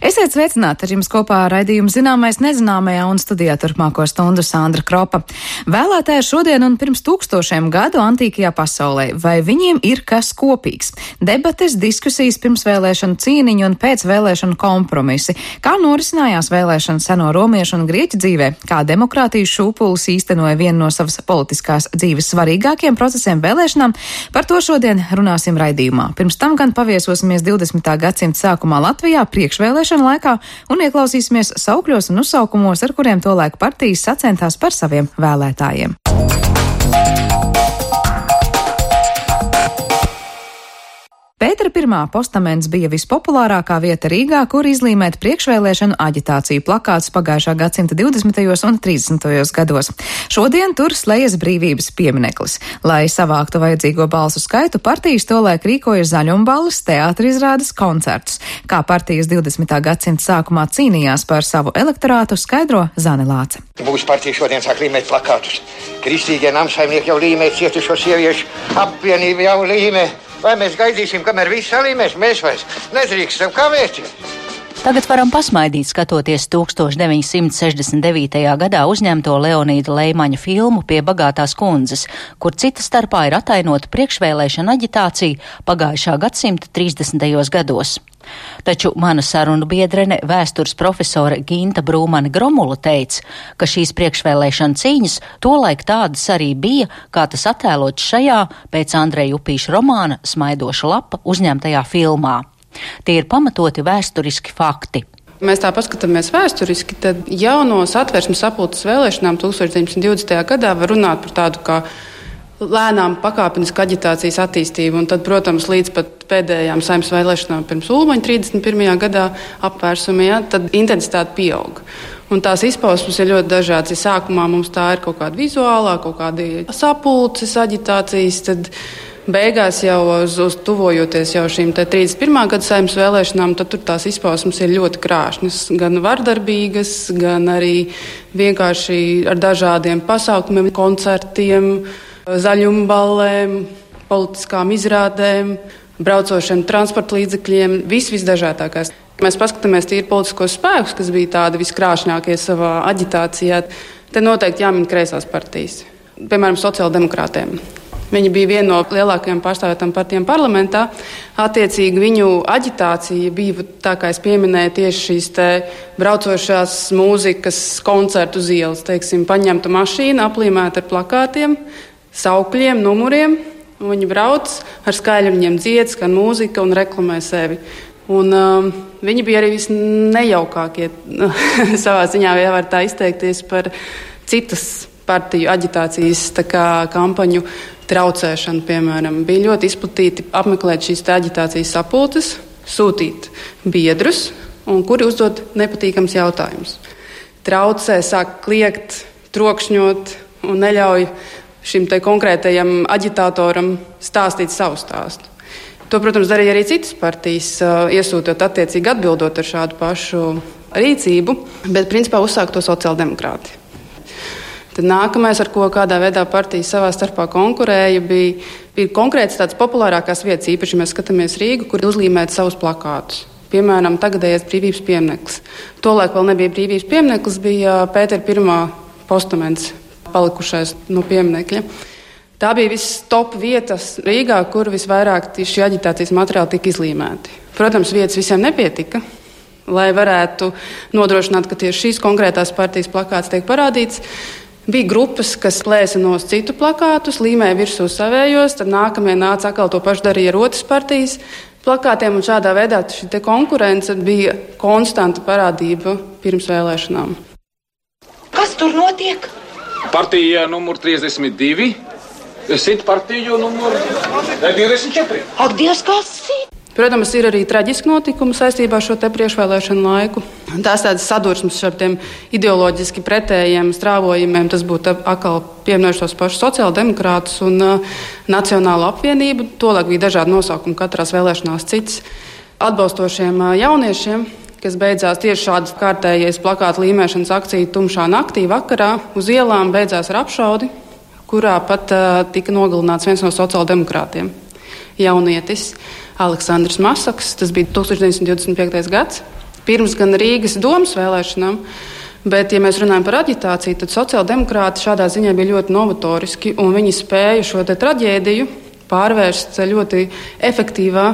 Esiet sveicināti, ar jums kopā raidījuma Zināmais nezināmajā un studijā turpmāko stundu Sandra Kropa. Vēlētāji šodien un pirms 1000 gadu antīkajā pasaulē, vai viņiem ir kas kopīgs? Debates, diskusijas, pirmsvēlēšanu cīniņu un pēcvēlēšanu kompromisi. Kā norisinājās vēlēšanas seno romiešu un grieķu dzīvē? Kā demokrātijas šūpulis īstenoja vienu no savas politiskās dzīves svarīgākiem procesiem vēlēšanām? Par to šodien runāsim raidījumā. Pirms tam gan paviesosimies 20. gadsimta sākumā Latvijā priekšvēlēšanu laikā un ieklausīsimies saukļos un uzsaukumos, ar kuriem tolaik partijas sacentās par saviem vēlētājiem. Pētera I postaments bija vispopulārākā vieta Rīgā, kur izlīmēt priekšvēlēšanu aģitāciju plakātus pagājušā gadsimta 20. un 30. gados. Šodien tur slējas brīvības piemineklis. Lai savāktu vajadzīgo balsu skaitu, partijas tolaik rīkoja zaļumballes, teātrizrādes, koncertus. Kā partijas 20. gadsimta sākumā cīnījās par savu elektorātu, skaidro Zane Lāce. Mūsu partija šodien sāk līmēt plakātus. Kristīgie namsaimnieki jau līmē, cietušo sieviešu apvienība jau līmē. Vai mēs gaidīsim, kamēr viss salīmēs? Mēs vairs nedrīkstam kavēties. Tagad varam pasmaidīt, skatoties 1969. gadā uzņemto Leonīda Leimaņa filmu Pie bagātās kundzes, kur cita starpā ir atainota priekšvēlēšana aģitācija pagājušā gadsimta 30. gados. Taču mana sarunu biedrene, vēstures profesore Ginta Brūmane Gromula teica, ka šīs priekšvēlēšana cīņas tolaik tādas arī bija, kā tas attēlots šajā pēc Andreja Upīša romāna Smaidoša lapa uzņemtajā filmā. Tie ir pamatoti vēsturiski fakti. Mēs tā paskatāmies vēsturiski, tad jau no Satversmes sapulces vēlēšanām 1920. gadā var runāt par tādu kā lēnām pakāpenisku aģitācijas attīstību, un tad, protams, līdz pat pēdējām Saeimas vēlēšanām pirms Ulmaņa 31. gadā apvērsumā, tad intensitāte pieauga. Un tās izpausmes ir ļoti dažādas. Ja sākumā mums tā ir kaut kāda vizuālā, kaut kāda sapulces aģitācijas, tad beigās jau uz tuvojoties jau šīm 31. gada Saeimas vēlēšanām, tad tur tās izpausmes ir ļoti krāšņas, gan vardarbīgas, gan arī vienkārši ar dažādiem pasākumiem, koncertiem, zaļumballēm, politiskām izrādēm, braucošiem transporta līdzekļiem, visdažādākās. Mēs paskatāmies tīri politiskos spēkus, kas bija tādi viskrāšņākie savā aģitācijā. Te noteikti jāmin kreisās partijas, piemēram, sociāldemokrātiem. Viņi bija viena no lielākajām pārstāvētām partijām parlamentā. Attiecīgi viņu aģitācija bija, tā kā es pieminēju, tieši šīs te braucošās mūzikas koncertu uz ielas. Teiksim, paņemta mašīna, aplīmēta ar plakātiem, saukļiem, numuriem. Viņi brauc ar skaļu, viņiem dzied, skan mūzika un reklamē sevi. Un viņi bija arī visnejaukākie savā ziņā, ja var tā izteikties, par citas partiju aģitācijas kampaņu traucēšanu, piemēram. Bija ļoti izplatīti apmeklēt šīs aģitācijas sapulces, sūtīt biedrus, un kuri uzdod nepatīkams jautājumus. Traucē, sāk kliegt, trokšņot un neļauj šim te konkrētajam aģitātoram stāstīt savu stāstu. To, protams, darīja arī citas partijas, iesūtot attiecīgi atbildot ar šādu pašu rīcību, bet principā uzsāk to sociāldemokrāti. Tad nākamais, ar ko kādā veidā partijas savā starpā konkurēja, bija konkrēts tāds populārākās vietas, īpaši mēs skatāmies Rīgu, kur uzlīmēt savus plakātus. Piemēram, tagadējais brīvības piemineklis. Tolaik vēl nebija brīvības piemineklis, bija Pētera I postaments palikušais no pieminekļa. Tā bija viss top vietas Rīgā, kur visvairāk šī aģitācijas materiāli tika izlīmēti. Protams, vietas visiem nepietika, lai varētu nodrošināt, ka tieši šīs konkrētās partijas plakāts tiek parādīts. Bija grupas, kas plēsa nost citu plakātus, līmēja virsū savējos, tad nākamie nāca atkal to pašu darīja ar otras partijas plakātiem, un šādā veidā šī te konkurence bija konstanta parādība pirms vēlēšanām. Kas tur notiek? Partija numur 32, sit partiju numur 24. Ak, Dievs, kas sit? Protams, ir arī traģiski notikumi saistībā ar šo te priekšvēlēšanu laiku. Tās tādas sadursmes ar tiem ideoloģiski pretējiem strāvojumiem, tas būtu atkal pieminējuši tos pašus sociāldemokrātus un Nacionālo apvienību. Tolaik bija dažādi nosaukumi katrās vēlēšanās cits. Atbalstošiem jauniešiem, kas beidzās tieši šādas kārtējies plakātu līmēšanas akcija tumšā naktī vakarā, uz ielām beidzās ar apšaudi, kurā pat tika nogalināts viens no sociāldemokrātiem. Jaunietis Aleksandrs Masaks, tas bija 1925. gads. pirms gan Rīgas domas vēlēšanām. Bet, ja mēs runājam par aģitāciju, tad sociāldemokrāti šādā ziņā bija ļoti novatoriski, un viņi spēja šo te traģēdiju pārvērst ļoti efektīvā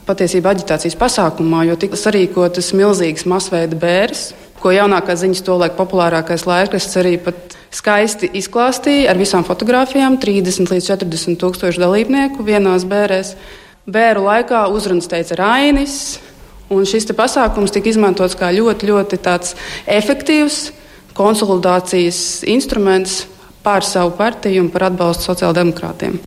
patiesībā aģitācijas pasākumā, jo tika sarīkotas milzīgas masveida bēres, ko jaunākās ziņas tolaik populārākais laikrasts arī pat skaisti izklāstīja ar visām fotogrāfijām, 30 līdz 40 tūkstoši dalībnieku vienās bērēs. Bēru laikā uzrunas teica Rainis, un šis te pasākums tika izmantots kā ļoti, ļoti tāds efektīvs konsolidācijas instruments pār savu partiju un par atbalstu sociāldemokrātiem.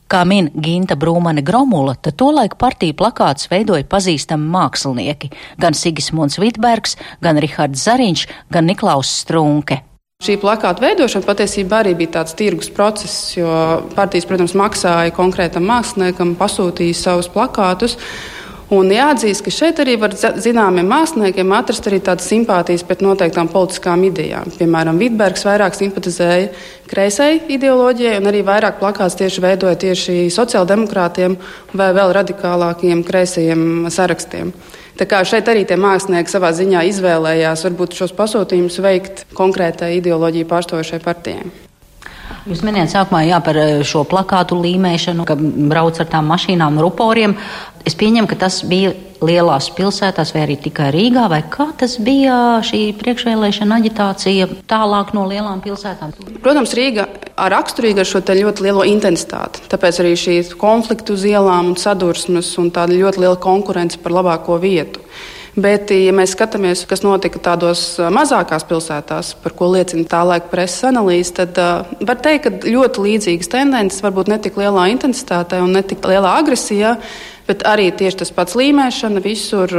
Kā min Ginta Brūmane-Gromula, tad tolaik partiju plakātus veidoja pazīstami mākslinieki – gan Sigismunds Vitbergs, gan Rihards Zariņš, gan Niklaus Strunke. Šī plakāta veidošana patiesībā arī bija tāds tirgus process, jo partijas, protams, maksāja konkrētam māksliniekam, pasūtīja savus plakātus. Un jāatzīst, ka šeit arī var zināmiem māksliniekiem atrast arī tādas simpātijas pret noteiktām politiskām idejām. Piemēram, Vitbergs vairāk simpatizēja kreisai ideoloģijai un arī vairāk plakāts tieši veidoja tieši sociāldemokrātiem vai vēl radikālākiem kreisajiem sarakstiem. Tā kā šeit arī tie mākslinieki savā ziņā izvēlējās varbūt šos pasūtījumus veikt konkrētai ideoloģiju pārstāvošai partijai. Jūs minējāt sākumā par šo plakātu līmēšanu, ka brauc ar tām mašīnām ruporiem. Es pieņemu, ka tas bija lielās pilsētās vai arī tikai Rīgā, vai kā tas bija šī priekšvēlēšana aģitācija tālāk no lielām pilsētām? Protams, Rīga raksturīga ar šo te ļoti lielo intensitāti. Tāpēc arī šī konfliktu uz ielām un sadursmes un tāda ļoti liela konkurence par labāko vietu. Bet, ja mēs skatāmies, kas notika tādos mazākās pilsētās, par ko liecina tā laika preses analīze, tad var teikt, ka ļoti līdzīgas tendences, varbūt ne tik lielā intensitātē un ne tik lielā agresijā, bet arī tieši tas pats līmēšana, visur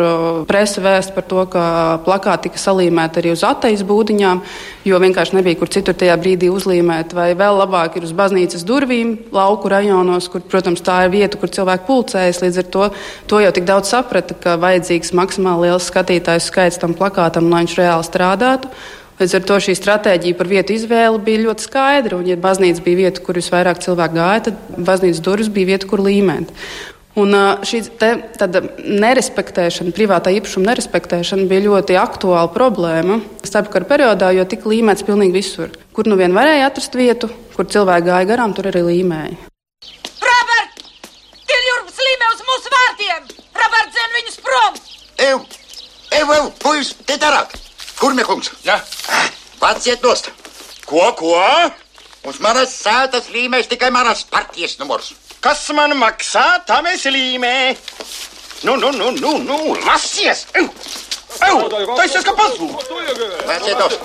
presa vēst par to, ka plakāti tika salīmēti arī uz atejas būdiņām, jo vienkārši nebija kur citur tajā brīdī uzlīmēt, vai vēl labāk ir uz baznīcas durvīm, lauku rajonos, kur, protams, tā ir vieta, kur cilvēki pulcējas, līdz ar to jau tik daudz saprata, ka vajadzīgs maksimāli liels skatītāju skaits tam plakātam, lai viņš reāli strādātu. Līdz ar to šī stratēģija par vietu izvēli bija ļoti skaidra, un ja baznīca bija vieta, kur visvairāk cilvēku gāja, tad baznīcas durvis bija vieta, kur līmēt. Un šī tāda nerespektēšana, privātā īpašuma nerespektēšana bija ļoti aktuāla problēma starpkara periodā, jo tika līmēts pilnīgi visur. Kur nu vien varēja atrast vietu, kur cilvēki gāja garām, tur arī līmēja. Robert! Tiljurps līmē uz mūsu vārtiem! Robert, dzen viņus prom! Ev, puiši, te darāk! Kurmie kungs? Jā. Pats iet nost. Ko? Uz manas sētas līmēs tikai manas partijas numurs. Kas man maksā, tam es līmē. Nu, lasies! Tas ir kā pazūd! Pats iet nost.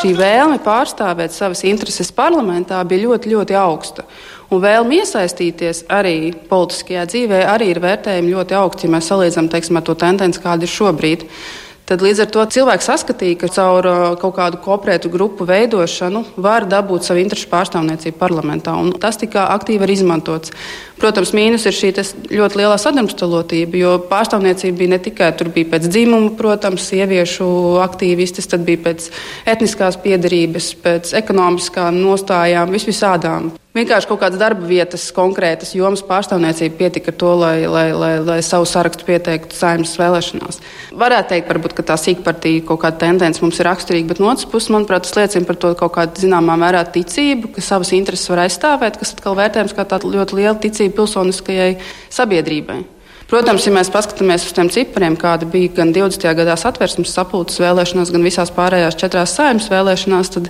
Šī vēlme pārstāvēt savas intereses parlamentā bija ļoti, ļoti augsta. Un vēlme iesaistīties arī politiskajā dzīvē arī ir vērtējumi ļoti augsti, ja mēs salīdzinām, teiksim, ar to tendenci, kāda ir šobrīd. Tad līdz ar to cilvēks saskatīja, ka caur kaut kādu kooperētu grupu veidošanu var dabūt savu interešu pārstāvniecību parlamentā, un tas tika aktīvi arī izmantots. Protams, mīnus ir šī ļoti lielā sadrumstalotība, jo pārstāvniecība bija ne tikai tur bija pēc dzimuma, protams, sieviešu aktīvistes, tad bija pēc etniskās piederības, pēc ekonomiskām nostājām, visvisādām. Vienkārši kaut kādas darba vietas, konkrētas jomas pārstāvniecība pietika ar to, lai savu sarakstu pieteiktu Saeimas vēlēšanās. Varētu teikt, varbūt, ka tā sīkpartija kaut kāda tendence mums ir raksturīga, bet no otras puses, manuprāt, tas liecina par to kaut kādu zināmā mērā ticību, ka savas intereses var aizstāvēt, kas atkal vērtējums kā tāda ļoti liela ticība pilsoniskajai sabiedrībai. Protams, ja mēs paskatāmies uz tiem cipariem, kāda bija gan 20. gadā Satversmes sapulces vēlēšanās, gan visās pārējās 4 Saeimas vēlēšanās, tad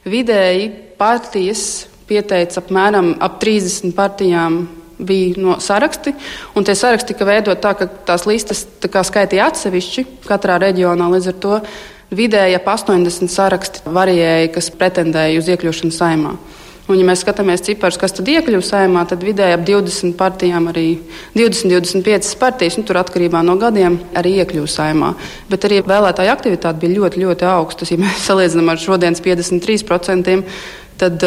vidēji partijas pieteica apmēram ap 30 partijām bija no saraksti, un tie saraksti tika veidot tā, ka tās listas skaitīja atsevišķi katrā reģionā, līdz ar to vidēji ap 80 saraksti variēja, kas pretendēja uz iekļūšanu Saeimā. Un, ja mēs skatāmies ciparus, kas tad iekļuva Saeimā, tad vidēji ap 20 partijām, arī 20-25 partijas, tur atkarībā no gadiem, arī iekļuva Saeimā. Bet arī vēlētāju aktivitāte bija ļoti, ļoti augstas. Ja mēs salīdzinām ar šodienas 53%, tad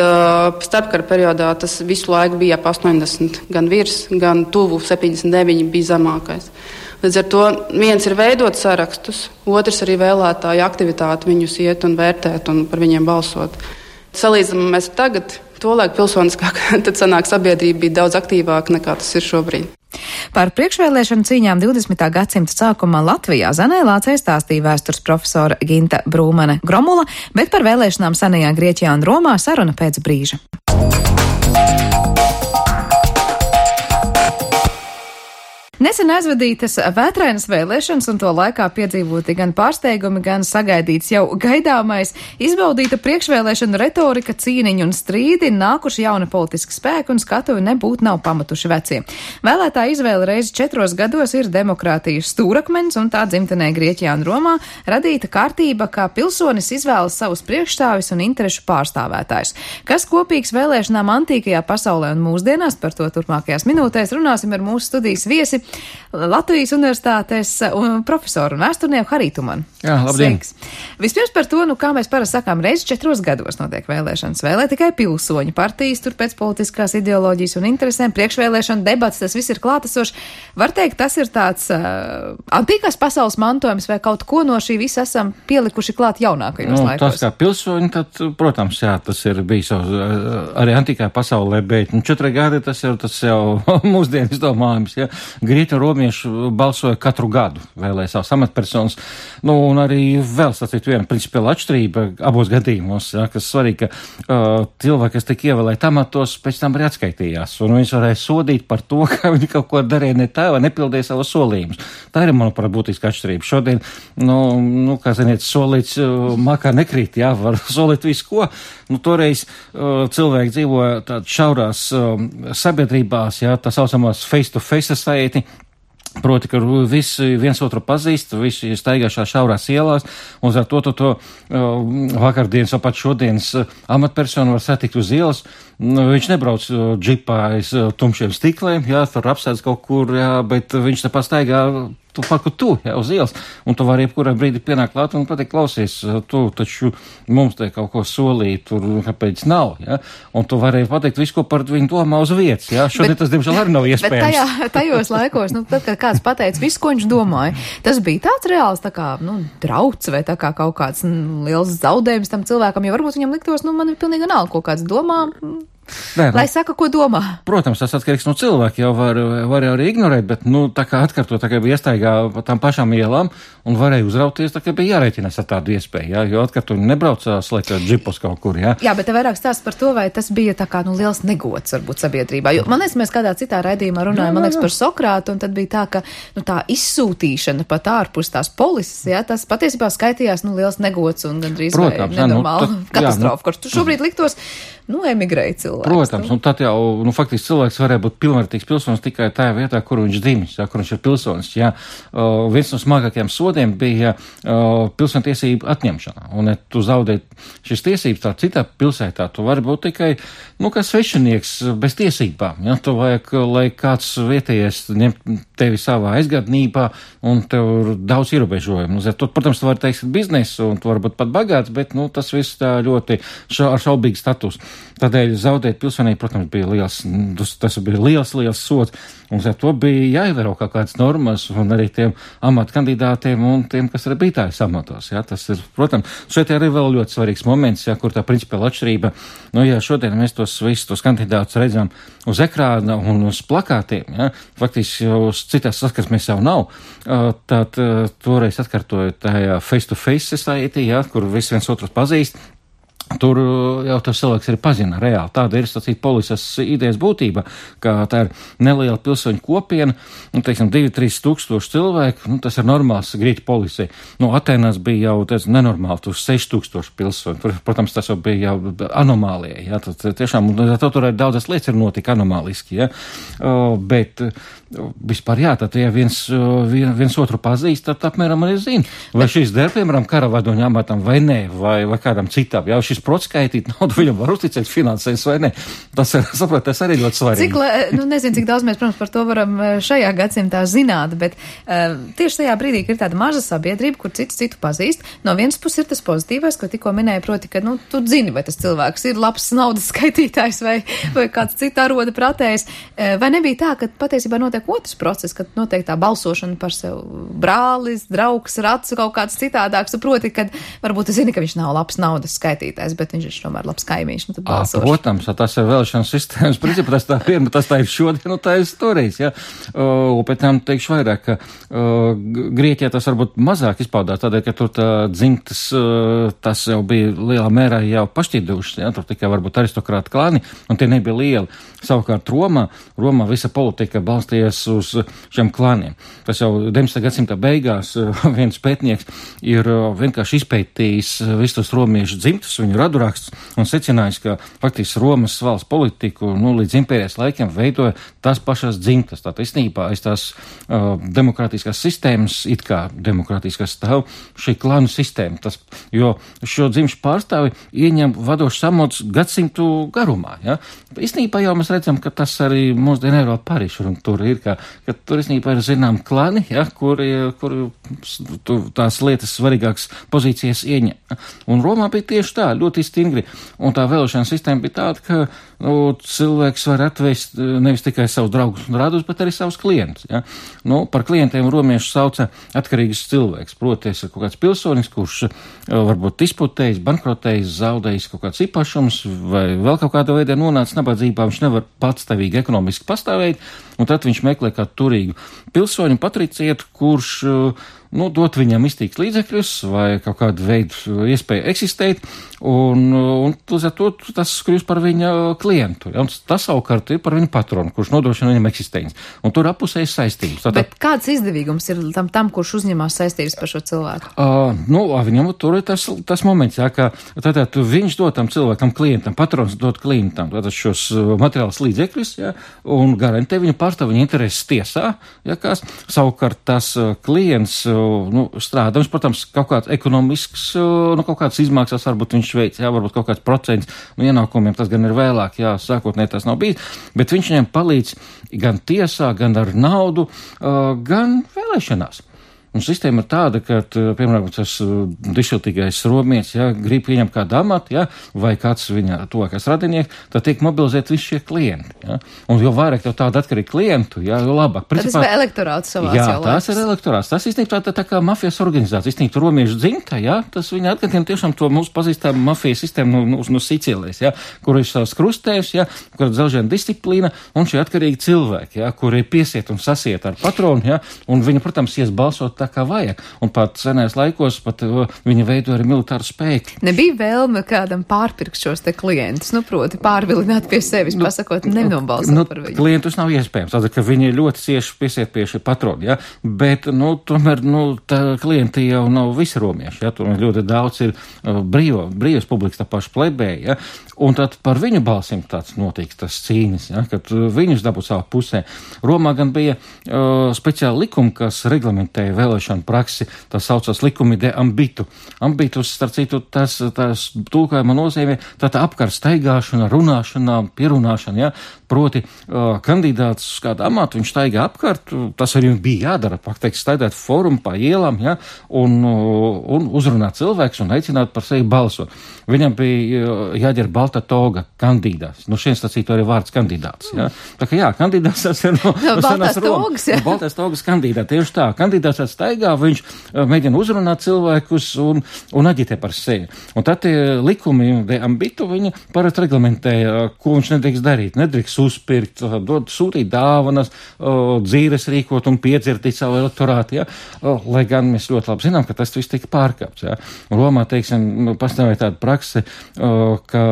starpkara periodā tas visu laiku bija ap 80, gan virs, gan tuvu 79 bija zemākais. Līdz ar to viens ir veidot sarakstus, otrs arī vēlētāju aktivitāti viņus iet un vērtēt un par viņiem balsot. Salīdzinām mēs tagad, Tolaik pilsoniskāk, tad sanāk sabiedrība bija daudz aktīvāka nekā tas ir šobrīd. Par priekšvēlēšanu cīņām 20. gadsimta sākumā Latvijā Zanē Lācei stāstīja vēstures profesora Ginta Brūmane Gromula, bet par vēlēšanām senajā Grieķijā un Romā saruna pēc brīža. Nesen aizvadītas vētrainas vēlēšanas un to laikā piedzīvoti gan pārsteigumi, gan sagaidīts jau gaidāmais, izbaudīta priekšvēlēšanu retorika, cīniņi un strīdi, nākuši jauni politiski spēki un skatuvi nebūtu nav pamatuši vecie. Vēlētāja izvēle reizi 4 gados ir demokrātijas stūrakmens un tā dzimtenē Grieķijā un Romā radīta kārtība, kā pilsonis izvēlas savus priekšstāvis un interešu pārstāvētājus. Kas kopīgs vēlēšanām antīkajā pasaulē un mūsdienās, par to turpmākajās minūtēs runāsim ar mūsu studijas viesi, Latvijas universitātes profesoru un vēsturnieku Harītu Tumanu. Jā, labdien! Sveiks. Vispirms par to, kā mēs parasti sakām, reizi 4 gados notiek vēlēšanas. Vēlē tikai pilsoņu partijas, tur pēc politiskās ideoloģijas un interesēm, priekšvēlēšana debats, tas viss ir klātesošs. Var teikt, tas ir tāds antīkās pasaules mantojums vai kaut ko no šī visa esam pielikuši klāt jaunākajos laikos? Tas kā pilsoņi, tad, protams, jā, tas ir bijis arī antīkā pasaulē, bet 4 gadi tas jau mūsdienu izdomājums, jā. Grieķi un romieši balsoja katru gadu, vēlēja savas amatpersonas. Un arī vēl sacīt viena principiāla atšķirība abos gadījumos, ja, kas svarīgi, ka cilvēki, kas tika ievēlēti amatos, pēc tam arī atskaitījās. Un viņus varēja sodīt par to, ka viņi kaut ko darīja ne tā vai nepildīja savus solījumus. Tā ir, manuprāt, būtiska atšķirība. Šodien, kā ziniet, solīts makā nekrīt, jā, var solīt visu ko. Toreiz cilvēki dzīvoja tād šaurās sabiedrībās, jā, tā saucamās face-to-face society. Proti, ka visi viens otru pazīst, visi staigāšā šaurās ielās, un ar to vakardienas vai pat šodienas amatpersonu var satikt uz ielas. Viņš nebrauc džipā aiz tumšiem stikliem, jā, tur apsēdz kaut kur, jā, bet viņš te pastaigā uz ielas, un tu vari jebkurā brīdī pienākt klāt un pateikt, klausies, tu taču mums te kaut ko solīja, tur kāpēc nav, jā, un tu vari pateikt visu, ko par viņu domā uz vietas, jā, šodien tas, diemžēl, arī nav iespējams. Bet tajos laikos, tad, kad kāds pateica visu, ko viņš domāja, tas bija tāds reāls, tā kā, drauds vai tā kā kaut kāds liels zaudējums tam cilvēkam, jo varbūt viņam liktos, man ir pilnīgi vienalga, ko kāds domā. Lai saka, ko domā. Protams, tas atkarīgs no cilvēka, jau var arī ignorēt, bet, tā kā atkārtot, tā kā bija iestaigā pa tām pašām ielām un varēja uzrauties, tā kā bija jārēķinās ar tādu iespēju, jā, jo atkārtot nebraucā slēgt džipos kaut kur, jā. Jā, bet te vairāk stāsts par to, vai tas bija tā kā, liels negods, varbūt, sabiedrībā, jo, man liekas, mēs kādā citā raidījumā runājam, man liekas, par Sokrātu, un tad bija tā, ka, tā izsūtīšana pat ārpus tās polises, jā, tas patiesībā skaitījās, liels negods un gandrīz vai nenormāla katastrofa, kurš šobrīd liktos, emigrēja cilvēks. Protams, un tad jau, faktiski cilvēks varēja būt pilnvērtīgs pilsonis tikai tajā vietā, kur viņš dzimis, jā, kur viņš ir pilsonis, jā. Viens no smagākajiem sodiem bija pilsontiesību atņemšana, un ja tu zaudē šīs tiesības tā citā pilsētā, tu vari būt tikai, kā svešinieks bez tiesībām, jā, tu vajag, lai kāds vietējais ņem tevi savā aizgādnībā, un tev ir daudz ierobežojumu. Tu, protams, tu vari teikt biznesu, un tu vari būt pat bagāts, bet, tas viss tā ļoti ar šaubīgu status. Tādēļ zaudēt pilsonību, protams, bija tas bija liels sods, un ar to bija jāievēro kaut kādas normas, un arī tiem amata kandidātiem un tiem, kas arī bija tājas amatos, jā, tas ir, protams, šeit arī vēl ļoti svarīgs moments, jā, kur tā principiāla atšķirība, jā, šodien mēs visus tos kandidātus redzam uz ekrāna un uz plakātiem, jā, faktiski uz citās saskarsmēs jau nav, tad toreiz atkārtojot tajā face-to-face society, jā, kur visi viens otru pazīst. Tur jau tas cilvēks arī pazina reāli. Tāda ir, sacīt, polises idejas būtība, ka tā ir neliela pilsoņu kopiena, 2-3 tūkstoši cilvēku, tas ir normāls Grieķu policija. Atēnās bija jau nenormāli, tur 6,000 pilsoņu. Tur, protams, tas jau bija jau anomālija, jā, tad tiešām, tur arī daudzas lietas ir notika anomāliski, jā, bet vispār, jā, tad, ja viens otru pazīst, tad apmēram arī zina, vai šīs der, piemēram, karavadoņa amatam vai nē, vai kādam citam, jā, šis prots skaitīt naudu, viņam var uzticēt finansēs vai ne. Tas arī ļoti svarīgi. Nezinu, cik daudz mēs, protams, par to varam šajā gadsimtā zināt, bet tieši tajā brīdī, kad ir tāda maza sabiedrība, kur citu pazīst, no vienas puses ir tas pozitīvais, ko tikko minēja, proti, ka, tu zini, vai tas cilvēks ir labs naudas skaitītājs vai kāds cits aroda pratējs. Vai nebija tā, ka patiesībā notiek otrs process, kad notiek tā balsošana par sev brālis, draugs, rats, kaut kāds citādāks, proti, kad varbūt tu zini, ka viņš nav labs naudas skaitītājs. nebalsojis, bet viņš ir tomēr labs kaimiņš, tad balsošu. Protams, tas ir vēlēšana sistēmas principā, tas tā ir šodien, tā ir toreiz, ja. Un pēc tam teikšu vairāk, ka Grieķijā tas varbūt mazāk izpaudās, tādēļ, ka tur tā dzimtas, tas jau bija lielā mērā jau pašķīdušas, ja, tur tikai varbūt aristokrāti klāni, un tie nebija lieli. Savukārt Romā visa politika balstījās uz šiem klāniem. Tas jau 19. gadsimta beigās viens pētnieks ir vienkārši izpētījis visus tos romiešu dzimtus, viņu radurakstus un secinājis, ka faktiski Romas valsts politiku līdz impērijas laikiem veidoja tās pašas dzimtas. Tātad īstenībā aiz tās demokrātiskās sistēmas, it kā demokrātiskās stāv šī klānu sistēma. Jo šo dzimšu pārstāvi ieņem vadošs amats gadsimtu garumā. Ja? Īstenībā jau mēs redzam, ka tas arī mūsdienu Eiropā Parīšu, un tur ir, ka tur īstenībā ir zinām klani, ja, kur tās lietas svarīgākas pozīcijas ieņem. Un Romā bija tieši tā, ļoti stingri, un tā vēlēšana sistēma bija tāda, ka cilvēks var atvest nevis tikai savus draugus un radus, bet arī savus klientus. Ja. Par klientiem romieši sauca atkarīgus cilvēks, proties kaut kāds pilsonis, kurš varbūt disputējis, bankrotējis, zaudējis kaut kāds īpašums vai vēl kaut kādā veidā nonācis nabadzībā, viņš nevar patstāvīgi ekonomiski pastāvēt, un tad viņš meklē kādu turīgu pilsoņu patricietu, kurš dot viņam iztīgs līdzekļus vai kaut kādu veidu iespēju eksistēt, un līdz ar to tas kļūst par viņa klientu. Ja? Un tas savukārt ir par viņu patronu, kurš nodrošina viņam eksistenci. Un tur apusējas saistības. Bet kāds izdevīgums ir tam kurš uzņemās saistības par šo cilvēku? Viņam tur ir tas moments, ja, ka tātad viņš dod tam cilvēkam, klientam, patrons dod klientam tātad šos materiālus līdzekļus, ja, un garantē viņu pārstāv viņa intereses tiesā, ja, savukārt tas klients strādā. Viņš, protams, kaut kāds ekonomisks, kaut kāds izmaksas varbūt viņš veic, jā, varbūt kaut kāds procents ienākumiem, tas gan ir vēlāk, jā, sākotnēji tas nav bijis, bet viņš viņiem palīdz gan tiesā, gan ar naudu, gan vēlēšanās. Un sistēma ir tāda, ka, piemēram, tas dišiltīgais romietis, ja, grib pieņemt kādu amatu, ja, vai kāds viņa tuvākais radinieks, tad tiek mobilizēt visi šie klienti. Ja. Un jo vairāk tev tādu atkarīgu klientu, ja, jo labāk. Principā, tas ir elektorāts savās jau laiks. Jā, tas ir elektorāts. Tas īstenībā tā kā mafijas organizācija. Īstenībā romiešu dzimta, ja, tas viņa atgadiem tiešām to mūsu pazīstam mafijas sistēmu no Sicīlijas, ja, kur ir savs krustējs, ja, kur ir dzelžena disciplīna un šie atkarīgi cilvēki, ja, kuri piesiet un sasiet ar patronu, ja, un viņi, protams, ies balsot kā vajag. Un pat senais laikos viņa veido arī militāru spēku. Nebija vēlme kādam pārpirkt šos te klientus, proti pārvilināt pie sevis, pasakot, nenobalsot par viņu. Klientus nav iespējams, tātad, ka viņi ļoti cieši piesiet pie šī patrona, ja, bet, tomēr, tā klienti jau nav visi romieši, ja, tur ļoti daudz ir brīvas publikas, tā paša plebēja, ja, un tad par viņu balsim tāds notiek tas cīnis, ja, kad viņus dabūtu savā pusē. Romā gan bija speciāli likumi, kas reglamentēja vēlēšanu praksi, tas saucās likumi de ambitu. Ambitus, starp citu, tas tulkojuma nozīmē tā apkārt staigāšana, runāšana, pierunāšana, ja, proti kandidāts uz kādu amatu, viņš staigā apkārt, tas arī bija jādara, faktiski staigāt fórumu pa ielām, ja, un uzrunāt cilvēks un aicināt par sevi balsot. Viņam bija jāģer balta toga, kandidāts. Šeit sacītu arī vārds kandidāts, ja. Tā kā jā, kandidāts tas ir no baltās togas, ja. Baltās togas kandidāts, tieši tā. Kandidāts staigā, viņš mēģina uzrunāt cilvēkus un aģitē par sevi. Un tad likumi de ambitu viņi parasti reglamentēja, ko viņš nedrīkst darīt. Nedrīkst uzpirkt, sūtīt dāvanas, dzīves rīkot un piedzirtīt savu elektorātu, ja? Lai gan mēs ļoti labi zinām, ka tas viss tika pārkāpts. Ja? Romā, teiksim, pastāvēja tāda prakse, ka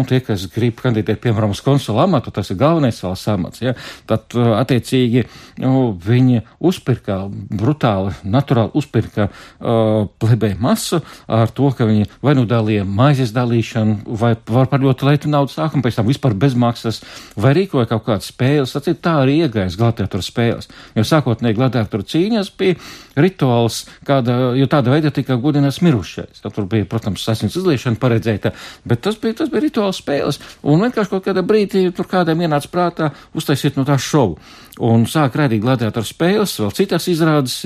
tie, kas grib kandidēt, piemēram, uz konsula amatu, tas ir galvenais valsts amats, ja? Tad attiecīgi viņi uzpirka brutāli, naturāli uzpirka plebēju masu ar to, ka viņi vai dalīja maizes dalīšanu, vai var par ļoti lētu naudu sākumu, pēc tam vispār bezmaksas, vai rīkoja kaut kādas spēles. Tā arī iegājas gladiatoru spēles. Jo sākotnēji gladiatoru cīņas bija rituāls, jo tāda veida tika godināts mirušais. Tur bija, protams, asins izliešana paredzēta, bet tas bija rituāls spēles. Un vienkārši kaut kādā brīdī tur kādam ienāca prātā uztaisīt no tā šovu. Un sāk rādīt gladiatoru spēles, vēl citas izrādes,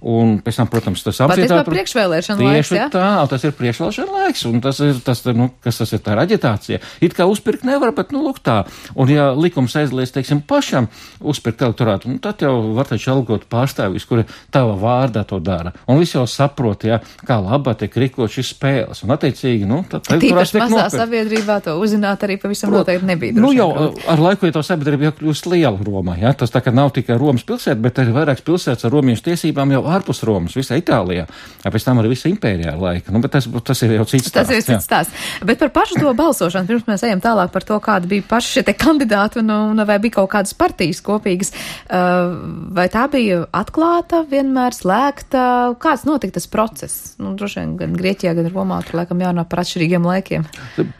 un pēc tam, protams, tas amfiteātris. Patiesībā priekšvēlēšana laiks, ja? Tā, tas ir priekšvēlēšana laiks, un tas ir tā aģitācija. It kā uzpirkt nevar, bet, lūk tā. Un ja likums aizliedz, teiksim, pašam uzpirkt elektorātu, tad jau var taču algot pārstāvjus, kuri tava vārdā to dara. Un visi jau saprot, kā labā tiek rīkot šis spēles. Un attiecīgi, tad tīpaši mazā sabiedrībā to uzzināt arī pavisam noteikti nebija. Jau ar laiku, ja to sabiedrība jau kļūst liela Romā, tas tā kā nav tikai Romas pilsēta, bet arī vairākas pilsētas ar romiešu tiesībām jau ārpus Romas, visā Itālijā, pēc tam arī visa impērijā laika. Bet tas ir jau cits stāsts. Tas ir cits stāsts. Bet par pašu to balsošanu, pirms mēs ejam tālāk par to, kādi bija paši šie te kandidāti un vai bija kaut kādas partijas kopīgas, vai tā bija atklāta, vienmēr slēgta, kāds notika tas process? Droši vien gan Grieķijā, gan Romā, tur laikam jārunā par atšķirīgiem laikiem.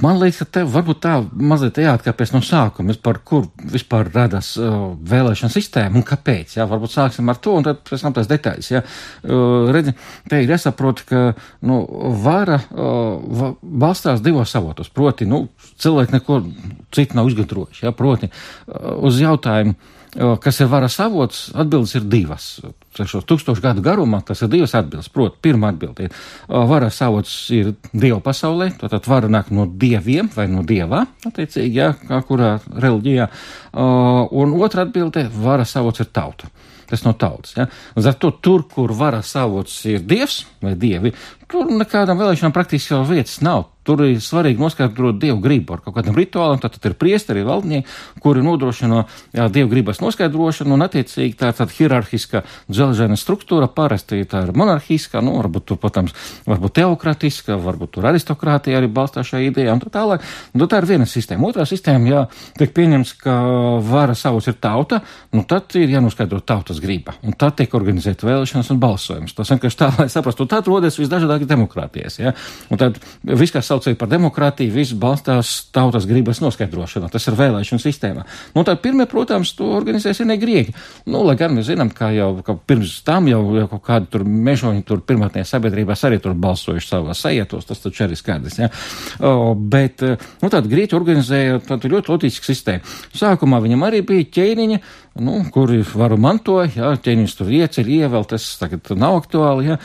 Man liekas, ka tev varbūt tā mazliet jāatkāpjas no sākuma, par kur vispār radās vēlēšana sistēma un kāpēc, varbūt sāksim ar to un tad pēc tam tās detaļas, Redzi, te ir jāsaprot, ka, vara balstās divos avotos, proti, cilvēki neko citu nav izgudrojuši, proti, uz jautājumu, kas ir varas avots, atbildes ir divas. 1000 gadu garumā tas ir divas atbildes. Proti, pirmā atbilde ir, varas avots ir Dievu pasaulē, tātad vara nāk no dieviem vai no dievā, attiecīgi, kā kurā reliģijā. Un otra atbilde, varas avots ir tauta. Tas no tautas, Līdz ar to tur, kur varas avots ir dievs vai dievi, tur nekādām vēlēšanām praktiski jau vietas nav. Tur ir svarīgi noskaidrot dievu gribu ar kaut kādam rituālam, tātad ir priesteri, valdnieki, kuri nodrošina dievu gribas noskaidrošanu, un attiecīgi tā ir tāda hierarhiska dzelžaina struktūra, parasti tā ir monarhiska, varbūt tur, protams, varbūt teokratiska, varbūt tur aristokrātija arī balstās šajā idejā, un tā tālāk. Tā ir viena sistēma. Otrā sistēma, tiek pieņemts, ka varas avots ir tauta, tad ir jānoskaidro tautas griba, un tad tiek organizēta vēlēšanas un balsojums. Tas vienkārši tā, lai saprastu, tad rodas visdažādākie demokrātijas, Un tad viss, kas saucēja par demokrātiju, viss balstās tautas gribas noskaidrošanā. Tas ir vēlēšana sistēmā. Tad pirmie, protams, to organizēja senie grieķi. Lai gan mēs zinām, ka pirms tam jau kaut kādi tur mežoņi tur pirmotnējās sabiedrībās arī tur balsojuši savās sajietos, tas taču arī skaidrs, Bet, tad grieķi organizēja tādu ļoti loģisku sistēmu. Sākumā viņam arī bija ķēniņi, kuri varu mantoja, ķēniņus tur ieceļ, ievēl, tas tagad nav aktuāli,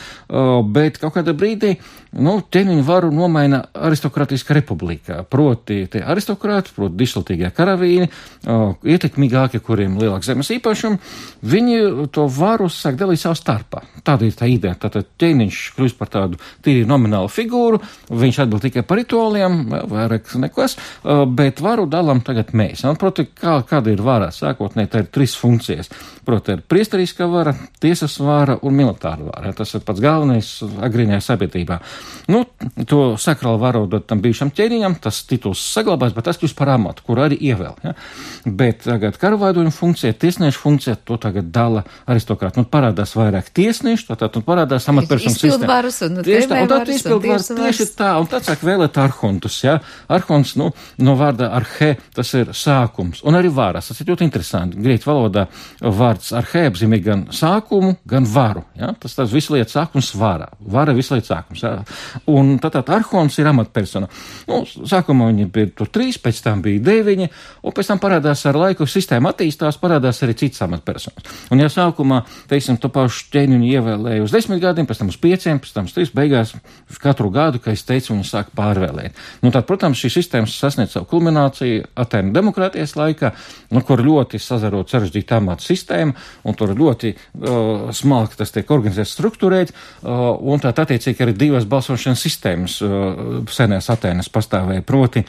bet kaut kādā brīdī, ķēniņu varu nomaina aristokrātiska republika, proti tie aristokrāti, proti dišlatīgie karavīni, ietekmīgākie, kuriem lielāks zemes īpašumi, viņi to varu sāk dalīt savā starpā. Tāda ir tā ideja. Tātad ķēniņš kļūst par tādu tīri nominālu figūru, viņš atbild tikai par rituāliem, vairāk nekas, bet varu dalām tagad mēs. Proti, kāda ir vara? Sākotnēji tā ir 3 funkcijas. Proti, ir priesteriskā vara, tiesas vara un militāra vara. Tas ir pats galvenais agrīnajā sabiedrībā. To sakrālu varu dot tam bijušam ķēniņam, tas tituls saglabās, bet tas kļūst par amatu, kur arī ievēl. Bet tagad karavādoņu funkcija, tiesnešu funkcija, to tagad dala aristokrāti. Parādās vairāk tiesnešu, tad parādās amatpersonu sistēma. Izpildvaras un tēmēvaras un tiesvaras. Tieši tā, un tad sāk vēlēt arhontus, Arhons, no vārda arhe, tas ir sākums, un arī varas. Tas ir ļoti interesanti. Grieķu valodā vārds arhe apzīmē gan sākumu, gan varu. Tas visu lietu sākums vara. Vara visu lietu sākums. Un tad arhons ir amatpersona. Sākumā viņi bija tur 3, pēc tam bija 9, un pēc tam parādās ar laiku sistēma attīstās, parādās arī citas amatpersonas. Un ja sākumā, teiksim, to pašu ķēniņu ievēlēja uz 10 gadiem, pēc tam uz 5, pēc tam uz 3, beigās katru gadu, kā es teicu, viņi sāk pārvēlēt. Tad, protams, šī sistēma sasniedz savu kulmināciju Atēnu demokrātijas laikā, kur ļoti sazarot sarežģīta amata sistēma, un tur ļoti smalki tas tiek organizēts, struktūrēts, un tā attiecīgi arī 2 balsošanas sistēmas senās Atēnas pastāvēja. Proti,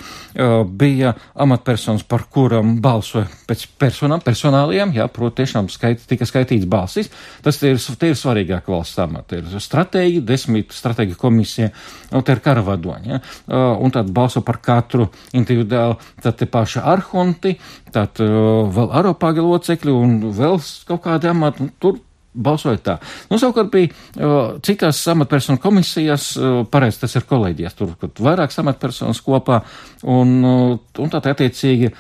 bija amatpersonas, par kuram balsoja pēc personāliem, proti tiešām tika skaitīts balsis. Tas ir svarīgāk valsts amata. Ir stratēģi, 10 stratēģi komisija, un te ir karavadoņi, un tad balso par katru individuāli, tad te paši arhonti, tad vēl aropāgi locekļi un vēl kaut kādi amati, tur balsoja tā. Savukārt bija citās amatpersonu komisijās, pareizi tas ir kolēģijās, tur vairākas amatpersonas kopā, un tā attiecīgi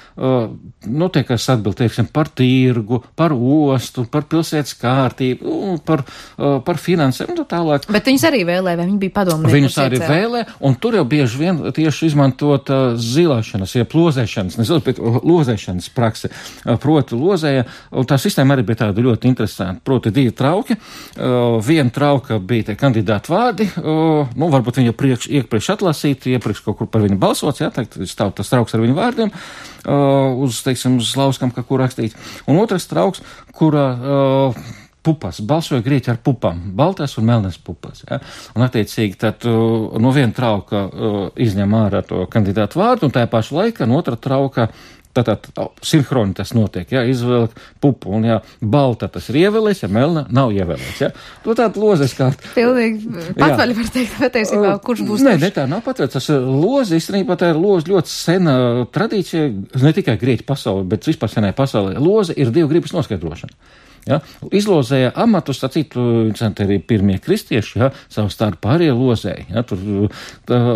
notiekas atbild, teiksim, par tirgu, par ostu, par pilsētas kārtību, par finansēm, un tālāk. Bet viņus arī vēlē, vai viņi bija padomnieki? Viņus arī vēlē, un tur jau bieži vien tieši izmantot zilāšanas, lozēšanas, bet lozēšanas prakse, proti lozēja, un tā sistēma arī bija tāda ļoti interesanta, proti 2 trauki. Viena trauka bija tie kandidāti vārdi, varbūt viņi iepriekš atlasīti, iepriekš kaut kur par viņu balsots, stāv tas trauks ar viņu vārdiem, uz lauskam, kā kur rakstīts. Un otrs trauks, kurā pupas, balsoja grieķi ar pupām, baltās un melnās pupas. Ja? Un attiecīgi tad no viena trauka izņem ārā to kandidātu vārdu, un tajā pašu laikā no otra trauka tātad sinhroni tas notiek, izvēlek pupu, un balta tas ir ievēlēts, melna nav ievēlēts. To tādu lozes kā... Pilnīgi patvaļi var teikt, patiesībā, kurš būs Nē, tā nav patvaļi, tas lozi, īstenībā tā ir lozi ļoti sena tradīcija, ne tikai grieķu pasaulē, bet vispār senai pasaulē. Lozi ir 2 gribas noskaidrošana. Ja? Izlozēja amatus, arī pirmie kristieši, savu starpā arī lozēja. Ja?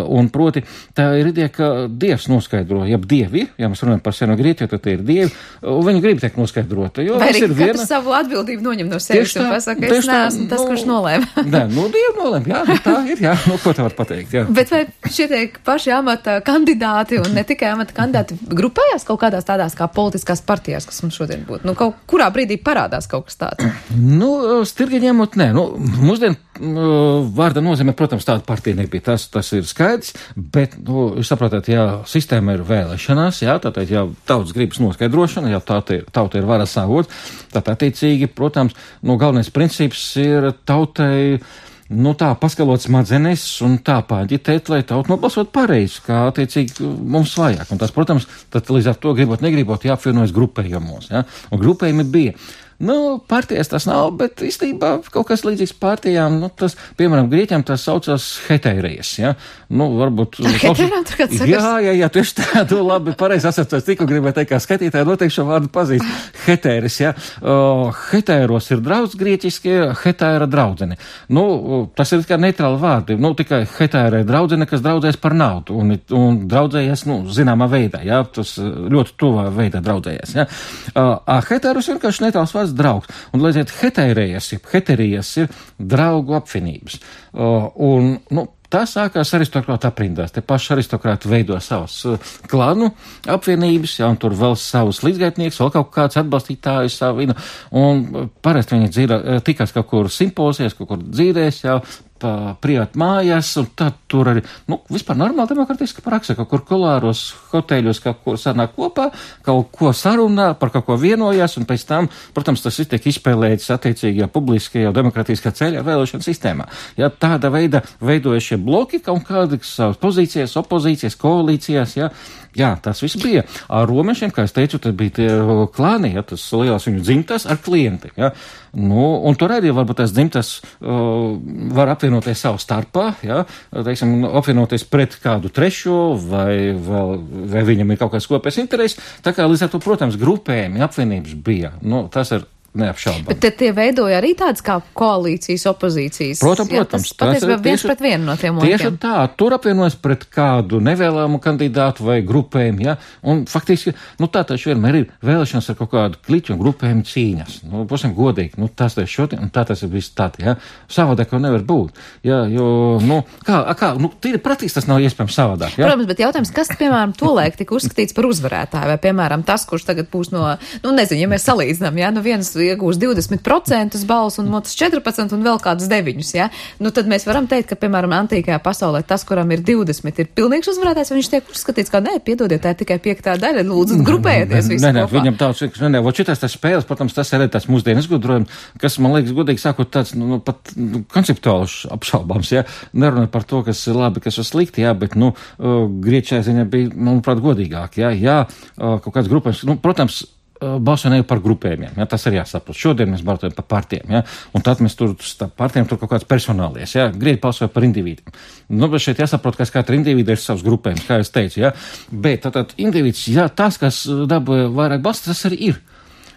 Un proti, tā ir ideja, ka Dievs noskaidro, dievi, mēs runājam par seno Grieķiju, tad tie ir dievi, un viņi grib tiek noskaidrota. Vai arī katrs savu atbildību noņem no sevis un pasaka, es neesmu tas, kurš nolēma. Nē, Dievi nolēma, tā ir, ko tā var pateikt. Jā. Bet vai šie tiek paši amata kandidāti un ne tikai amata kandidāti grupējās kaut kādās tādās kā politiskās partijās, kas mums šodien būtu? Kaut kurā brīdī parādās kaut kas tāds? Stirgi ņemot, nē. Mūsdien vārda nozīmē, protams, tāda partija nebija. Tas ir skaidrs, bet, jūs saprotat, sistēma ir vēlēšanās, tātad, tautas gribas noskaidrošana, tauta ir varas avots, tad attiecīgi, protams, galvenais princips ir tautai, tā paskalot smadzenes un tā pāģitēt, lai tauta nobalsot pareizi, kā attiecīgi mums vajag. Un tas, protams, tad līdz ar to gribot, negribot, jāapvienojas grupējumos, un grupējumi bija. Partijas tas nav, bet īstenībā kaut kas līdzīgs partijām, tas, piemēram, Grieķiem tas saucās hetērijas, varbūt... Hetērām tur kāds sakas? Jā, tieši tādu labi, pareizi asociēts, tikko gribēju teikt, kā skatītāji noteikti šo vārdu pazīst. Hetēris, hetēros ir draudz grieķiskie, hetēra draudzene. Tas ir tikai neitrāli vārdi, tikai hetēra ir draudzene, kas draudzējas par naudu, un draudzējas, zināmā veidā, tas ļoti tuvā veidā draudzējas, hetēros vienkārši neitrāls vārds draugs. Un, lai ziet, heterijas ir draugu apvienības. Tā sākās aristokrāta aprindās. Te paši aristokrāti veido savas klanu apvienības, un tur vēl savus līdzgaitnieks, vēl kaut kāds atbalstītājus savu, un parasti viņi tikās kaut kur simpozijas, kaut kur dzīrēs, privat mājās, un tad tur arī, vispār normāli demokratiska praksa, kaut kur kolāros hoteļos kaut ko sanāk kopā, kaut ko sarunā, par kaut ko vienojās, un pēc tam, protams, tas viss tiek izspēlēts attiecīgajā publiskajā demokratiskā ceļā vēlēšana sistēmā. Tāda veida veidojas šie bloki, kaut kādas savas pozīcijas, opozīcijas, koalīcijas, tas viss bija. Ar romiešiem, kā es teicu, tad bija tie klāni, tas lielās viņu dzimtas ar klientiem, un tur arī varbūt tās dzimtas var apvienoties savu starpā, apvienoties pret kādu trešo, vai viņam ir kaut kāds kopējs interesi. Tā kā līdz ar to, protams, grupējumi, apvienības bija. Tas ir neapšaubām. Bet tie veidoja arī tādas kā koalīcijas, opozīcijas. Protams. Tas patiesībā viens pret vienu no tiem lokiem. Tieši tā, tur apvienojas pret kādu nevēlamu kandidātu vai grupējumu, un faktiski, tā taču vienmēr ir vēlēšanas ar kaut kādu kliķu un grupējumu cīņas. Būsim godīgi, tas ir šodien, un tā tas ir viss tādi, savādāk jau nevar būt. Tīri praktiski tas nav iespējams savādāk, Protams, bet jautājums, kas, piemēram, tolaik tika uzskatīts par uzvarētāju, vai, piemēram, tas, kurš tagad būs nezinu, ja mēs salīdzinām, viens iegūs 20% balsu un otrs 14% un vēl kādas 9, tad mēs varam teikt, ka, piemēram, antīkajā pasaulē tas, kuram ir 20, ir pilnīgs uzvarētājs, viņš tiek uzskatīts, ka piedodiet, tā ir tikai 5. daļa, lūdzu, grupējieties visi kopā. Viņam tāds, šitas tas spēles, protams, tas ir tāds mūsdienu izgudrojums, kas, man liekas, godīgi sākot tāds, pat konceptuāls apšaubāms, nerunāt par to, kas ir labi, kas ir slikti, bet, grieķajā ziņā bija, manuprāt, godīgāk, kaut kāds grupējums, protams, balsojam par grupējumiem, tas arī jāsaprot. Šodien mēs balsojam par partijām, un tad mēs tur partijām tur kaut kāds personālies, grieķi balsoja par individiem. Bet šeit jāsaprot, kas katra individa ir savs grupējums, kā es teicu, bet tātad individs, tas, kas dabūja vairāk balstu, tas arī ir.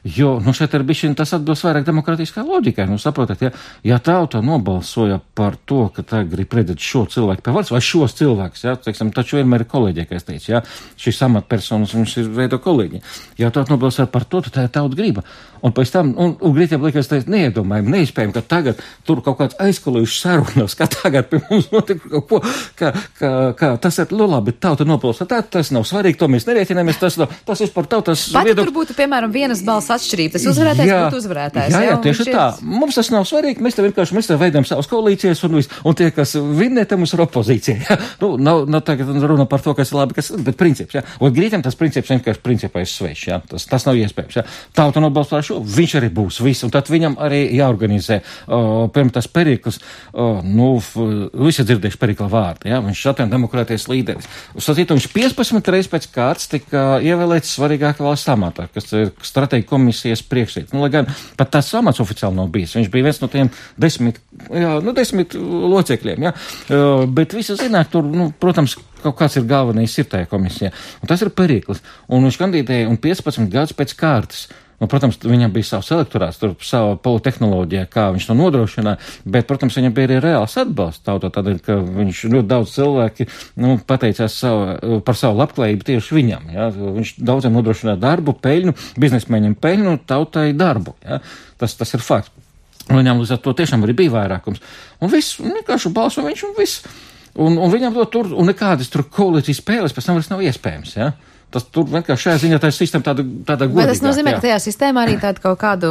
Jo, šeit ir bišķiņ tas atbilst vairāk demokrātiskā loģikai. Saprotat, ja tauta nobalsoja par to, ka tā grib redzēt šo cilvēku pie varas, vai šos cilvēkus, taču vienmēr ir kolēģi, kā es teicu, šīs amatpersonas, viņš ir veido kolēģi. Ja tauta nobalsoja par to, tad tā ir tauta griba. Un pēc tam, un Grieķiem liekas, tas neiedomājami, neiespējami, ka tagad tur kaut kāds aizkolījuši sarunas, ka tagad pie mums notika kaut ko, ka tas ir, labi, tauta nobalsoja, tas nav svarīgi, to mēs nerēķināmies, tas vispār tautas viedoklis. Pat tur būtu, piemēram, vienas balss balsu atšķirība. Tas uzvarētājs būtu uzvarētājs. Jā, tieši tā. Mums tas nav svarīgi. Mēs te veidojam savas koalīcijas un tie, kas vinnē, te mums ir opozīcija. Jā. Nav tagad runa par to, kas ir labi, bet princips. Jā. Un Grieķiem tas princips vienkārši principā ir svešs. Jā. Tas nav iespējams. Jā. Tauta nobalso par šo, viņš arī būs viss. Un tad viņam arī jāorganizē. Pirms tas Perikls, visi dzirdējuši Perikla vārdu. Jā. Viņš atvienu demokrātijas līderis. Viņš 15 reizes pēc kārtas tika ievēlēts svarīgākā valsts amatā, kas ir strateģija komisijas priekšsēdētājs. Lai gan pat tas amats oficiāli nav bijis. Viņš bija viens no tiem 10 locekļiem. Jā. Bet visi zināt, tur, protams, kaut kāds ir galvenais ir tajā komisijā. Un tas ir Perikls. Un viņš kandidēja 15 gadus pēc kārtas. Protams, viņam bija savs elektorāts, tur sava politehnoloģija, kā viņš to nodrošināja, bet, protams, viņam bija arī reāls atbalsts tautā, tādēļ, ka viņš ļoti daudz cilvēki, pateicās par savu labklājību tieši viņam, jā. Viņš daudziem nodrošināja darbu, peļņu, biznesmeņiem peļņu, tautai darbu, jā. Tas ir fakts. Un viņam līdz ar to tiešām arī bija vairākums. Un viss, vienkārši balso viņš un viss. Un viņam tur, un nekādas tur koalīcijas spēles pēc tam vairs nav iespējams, jā. Tas tur vienkārši šajā ziņā tā sistēma tāda godīgāka. Vai tas nozīmē, ka tajā sistēmā arī tāda kaut kādu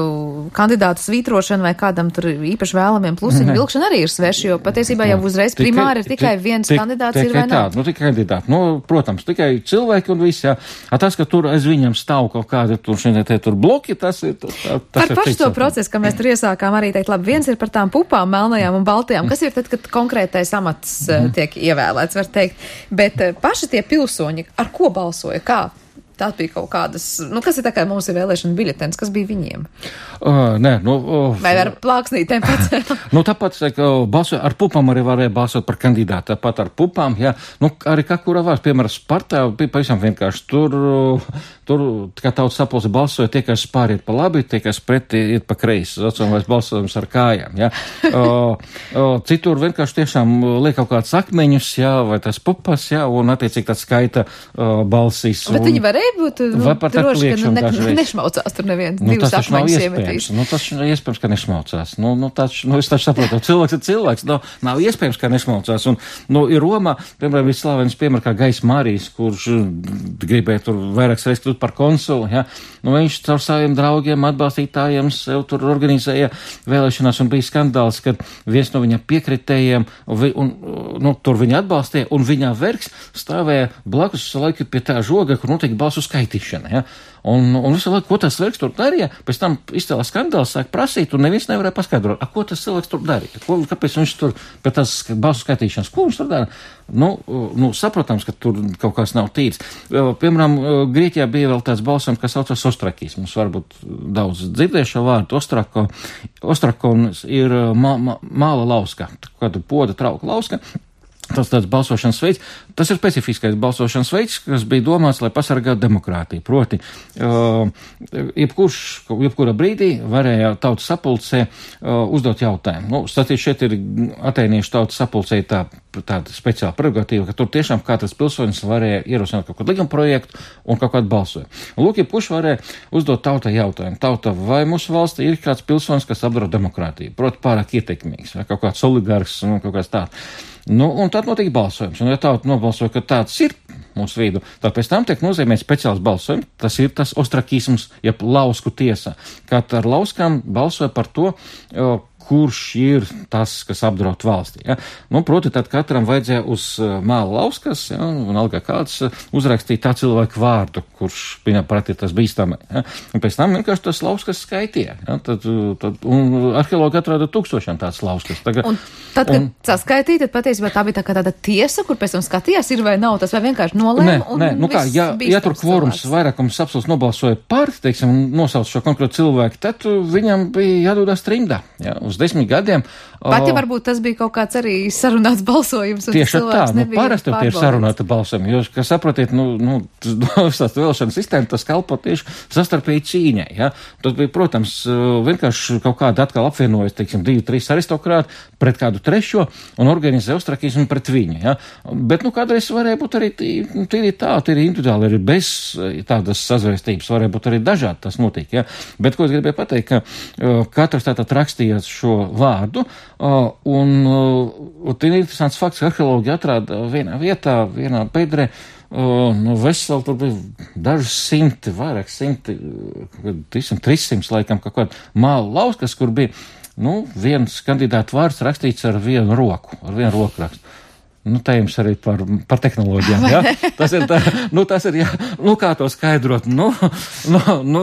kandidātu svītrošana vai kādam tur īpaši vēlamiem plusiņu vilkšana arī ir sveši, jo patiesībā jau uzreiz primāri ir tikai viens kandidāts ir vai nav? Tikai kandidāti. Protams, tikai cilvēki un viss, jā. Tas, ka tur aiz viņam stāv kaut kādi tur bloki, tas ir par pašu to procesu, ka mēs tur iesākām arī teikt, labi, viens ir par tām pupām, melnajām un baltajām. Kas ir tad, kad konkrētais amats tiek ievēlēts, var teikt. Bet paši tie pilsoņi, ar ko balsoja? Kā? Tā bija kaut kādas, kas ir tā kā mums ir vēlēšana biļetens, kas bija viņiem? Vai ar plāksnītēm pacēl? Tāpat, balsoja ar pupām arī varēja balsot par kandidātu, tāpat ar pupām, jā. Arī kā kura vārds, piemēram, Spartā bija pavisam vienkārši. Tur, kā tautas sapulce balsoja, tie, kas pāriet pa labi, tie, kas pretī iet pa kreisi, vai balsojums ar kājām, jā. Citur vienkārši tiešām liek kaut kāds akmeņus, jā, vai tas pupas, jā, un attiecīgi tāds skaita balsīs. Bet viņi varēja būt droši, ka nešmaucās tur neviens, divas akmeņus iemetīs. Tas ir iespējams, ka nešmaucās. Es taču saprotu, cilvēks ir cilvēks, nav iespējams, ka nešmaucās. Un, ir Romā, piemēram, vislāvēns piemēram kā Gais Marijs, kurš gribēja tur vairākas reizes kļūt par konsulu, jā. Viņš caur saviem draugiem, atbalstītājiem sev tur organizēja vēlēšanās un bija skandāls, kad viens no viņa piekritējiem, tur viņa atbalstīja, un viņa vergs stāvēja blakus laiku pie tā žoga, kur notiek balsu skaitīšana, ja? Un visu laiku, ko tas cilvēks tur darīja, pēc tam izcēlās skandāls, sāk prasīt, un neviens nevarēja paskaidrot, ko tas cilvēks tur darīja, kāpēc viņš tur pēc tās balsu skaitīšanas, ko viņš tur dara? Saprotams, ka tur kaut kas nav tīrs. Piemēram, Grieķijā bija vēl tāds balsojums, kas saucās ostrakisms, varbūt daudz dzirdējušo vārdu, ostrakons ir māla lauska, kāda poda trauka lauska. Tas tāds balsošanas veids, tas ir specifiskais balsošanas veids, kas bija domāts, lai pasargātu demokrātiju. Proti, jebkura brīdī varēja tautas sapulcē uzdot jautājumu. Statīt šeit ir atēniešu tautas sapulcē tāda speciāla prerogatīva, ka tur tiešām katrs pilsonis varēja ierosināt kaut kādu likuma projektu un kaut kādu balsojumu. Lūk, jebkurš varēja uzdot tautai jautājumu. Tauta, vai mūsu valstī ir kāds pilsonis, kas apdraud demokrātiju? Proti, pārāk ietekmīgs, vai kaut kāds oligārks un kaut kāds tāds. Un tad notika balsojums. Un ja tauta nobalsoja, ka tāds ir mūsu vidū, tad pēc tam tiek nozīmēts speciāls balsojums. Tas ir tas ostrakisms, jeb lausku tiesa. Kad ar lauskām balsoja par to, kurš ir tas, kas apdraud valstī. Ja? Proti, tad katram vajadzēja uz māla lauskas, ja? Un algā kāds uzrakstīt tā cilvēku vārdu, kurš viņam prāt ir tas bīstamai. Ja? Un pēc tam vienkārši tas lauskas skaitīja. Ja? Un arheologi atrada 1000 tādas lauskas. Un tad, kad saskaitīja, tad patiesībā tā bija tāda tiesa, kur pēc tam skatījās, ir vai nav tas, vai vienkārši nolēma. Ja tur kvorums vairākums absolūts nobalsoja par, teiksim, nosauc šo konkrētu cilvēku, tad viņam bija jādodās trimdā. Ja? Uz 10 gadiem. Pat ja varbūt tas bija kaut kāds arī sarunāts balsojums. Tieši tā, parasti tie ir sarunāti balsojumi, jo, kā saprotiet, tās vēlēšana sistēma, tas kalpo tieši sastarpēji cīņai, ja. Tad bija, protams, vienkārši kaut kāda atkal apvienojas, teiksim, 2-3 aristokrāti pret kādu trešo un organizē ostrakismu pret viņu, ja. Bet, kādreiz varēja būt arī tīri individuāli, arī bez tādas sazvērstības, varēja būt arī dažādi tas notiek, ja. Bet, ko es gribēju pateikt, ka katrs tātad rakstījās šo vārdu, un ir interesants fakts, ka arheologi atrāda vienā vietā, vienā bedrē, veseli tur bija daži simti, vairāk simti, 300 laikam, kaut kāda māla lauskas, kur bija, viens kandidātu vārds rakstīts ar vienu roku rakstu. Tā jums arī par tehnoloģijām, jā. Tas ir jā, kā to skaidrot,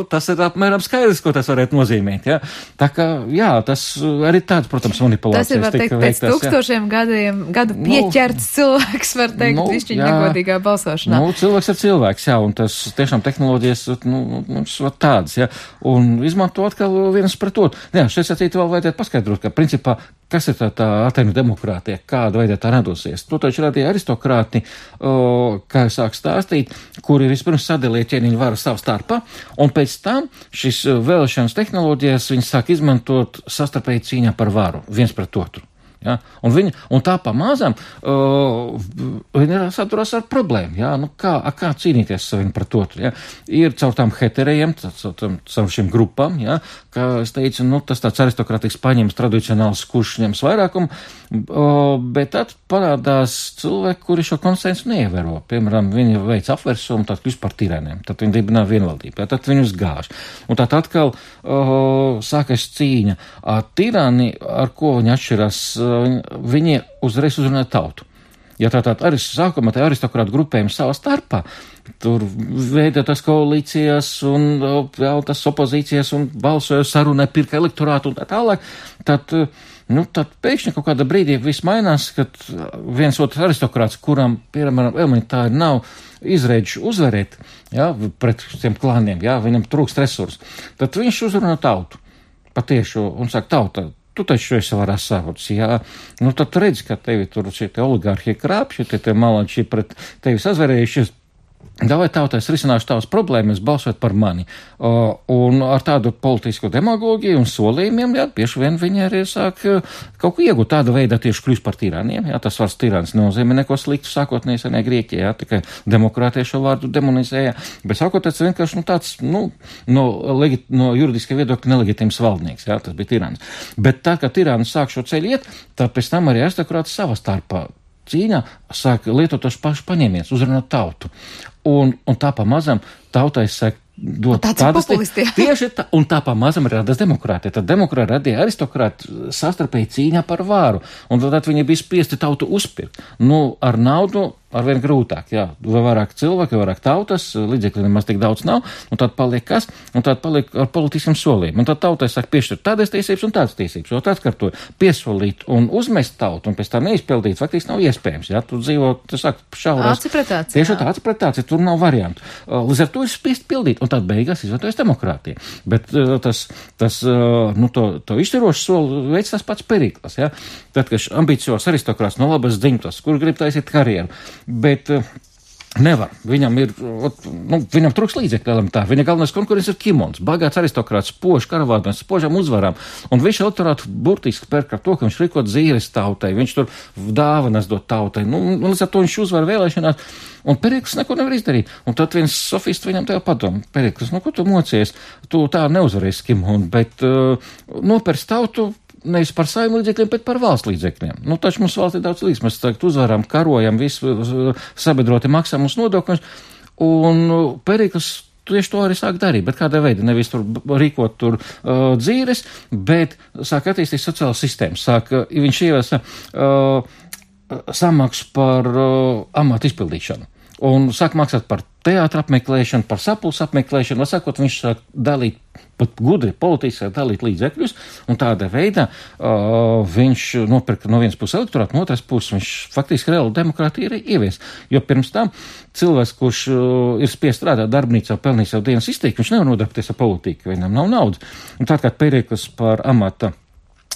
tas ir apmēram skaidrs, ko tas varētu nozīmēt, jā. Tā kā, jā, tas arī tāds, protams, manipulācijas. Tas ir, var teikt, pēc tūkstošiem gadu pieķerts cilvēks, var teikt, višķiņ negodīgā balsošanā. Cilvēks ir cilvēks, jā, un tas tiešām tehnoloģijas, mums var tādas, jā, un izmanto atkal vienas pret otru. Jā, šeit sacīt vēl vajadzētu paskaidrot, ka principā, kas ir tā Atēnu demokrātija, kāda veidē tā radosies. To taču radīja aristokrāti, kā es sāku stāstīt, kuri vispirms sadalīja ķēniņu varu savu starpā, un pēc tam šis vēlēšanas tehnoloģijas viņi sāk izmantot sastarpēji cīņā par varu, viens pret otru. Ja? Un tā pamazām viņi saduras ar problēmu. Ja? Kā cīnīties saviem pret otru? Ja? Ir caur tām heterējiem, caur šiem grupām, ja? Kā es teicu, tas tāds aristokrātisks paņems tradicionāls, kurš ņems vairākumu, bet tad parādās cilvēki, kuri šo konsensu neievēro. Piemēram, viņi veic apversumu, tad kļūst par tiraniem, tad viņi dibinā vienvaldību, ja? Tad viņus gāž. Un tad atkal sākas cīņa. Tirani, ar ko viņi atšķirās, viņi uzreiz uzrunā tautu. Ja tātad arī sākumā tā aristokrāta grupējumi savā starpā, tur veidotas koalīcijas un tas opozīcijas un balsoja sarunē, pirka elektorātu un tā tālāk, tad pēkšņi kaut kādā brīdī viss mainās, kad viens otrs aristokrāts, kuram, piemēram, elementāri nav izrēģi uzvarēt, ja, pret tiem klāniem, ja, viņam trūkst resursu, tad viņš uzrunā tautu patiešu un saka, tauta, tu taču esi varās savots, jā. Tad tu redzi, ka tevi tur šie te oligārhie krāpši, tie malači pret tevi sazverējušies. Davai tautais risināšu tavas problēmas, balsot par mani. Un ar tādu politisku demagogiju un solījumiem, jā, bieži vien viņi arī sāk kaut ko iegūt tāda veidā tieši kļūst par tiraniem, jā, tas vārds tirans nenozīmē neko sliktu sākotnēji senē Grieķijā, jā, tikai demokrātija šo vārdu demonizēja, bet sākotnēji tas vienkārši, tāds, no juridiska viedokļa nelegitīms valdnieks, jā, tas bija tirans. Bet tā, ka tirāns sāk šo ceļu iet, tad pēc tam arī aristokrāti savā starpā cīņā sāk lietot tos pašus paņēmienus, uzrunāt tautu. Un tā pamazam tautai sāk dot tādas tieši tā, un tā pamazam radās demokrātija. Tad demokrāti radīja aristokrāti sastarpēji cīņā par vāru, un tad viņi bija spiesti tautu uzpirkt. Ar naudu arvien grūtāk, jā, vai vairāk cilvēki, vai vairāk tautas, līdzekļi nemaz tik daudz nav, un tad paliek kas, un tad paliek ar politiskiem solījumiem. Un tad tautai sāk piešķirt tādas tiesības un tādas tiesības, jo tāds, ka to piesolīt un uzmest tautu, un pēc tā neizpildīt, faktiski nav iespējams, jā, tu dzīvo, tu sāk šaurās. Tieši tā acipretācija, tur nav variantu. Līdz ar to ir spiest pildīt, un tad beigās izvērtojas demokrātija. Bet to izšķirošu soli veids tas pats Perikls, jā. Tad, kad ambiciozs aristokrāts no labas dzimtas, kur grib taisīt karjeru, bet nevar. Viņam trūks līdzekļi elementāri. Viņa galvenais konkurents ir Kimons, bagāts aristokrāts, spožs karavādens, spožām uzvarām. Un viņš elektorātu burtiski pērk ar to, ka viņš rīkot zīres tautai, viņš tur dāvanas dot tautai. Līdz ar to viņš uzvar vēlēšanās. Un Perikls neko nevar izdarīt. Un tad viens sofists viņam tev padomu. Perikls, ko tu mocies? Tu tā neuzvarēsi Kimonu, bet nopērst tautu nevis par saviem līdzekļiem, bet par valsts līdzekļiem. Taču mums valsts ir daudz līdz. Mēs uzvaram, karojam, visu sabiedroti maksā mums nodokļus. Un Perikls tieši to arī sāk darīt, bet kādā veidā nevis tur rīkot tur dzīves, bet sāk attīstīt sociālas sistēmas. Viņš ievesa samaksu par amatu izpildīšanu. Un sāk maksāt par teātra apmeklēšanu, par sapulces apmeklēšanu, vai sakot, viņš sāk dalīt, pat gudri politiski dalīt līdzekļus, un tādā veidā viņš nopirka no vienas puses elektorātu, no otras puses viņš faktiski reāli demokrātiju ir ievies. Jo pirms tam cilvēks, kurš ir spiest strādāt darbnīcā, pelnīt savu dienas izteikti, viņš nevar nodarboties ar politiku, viņam nav naudas. Un tā kā Perikls par amata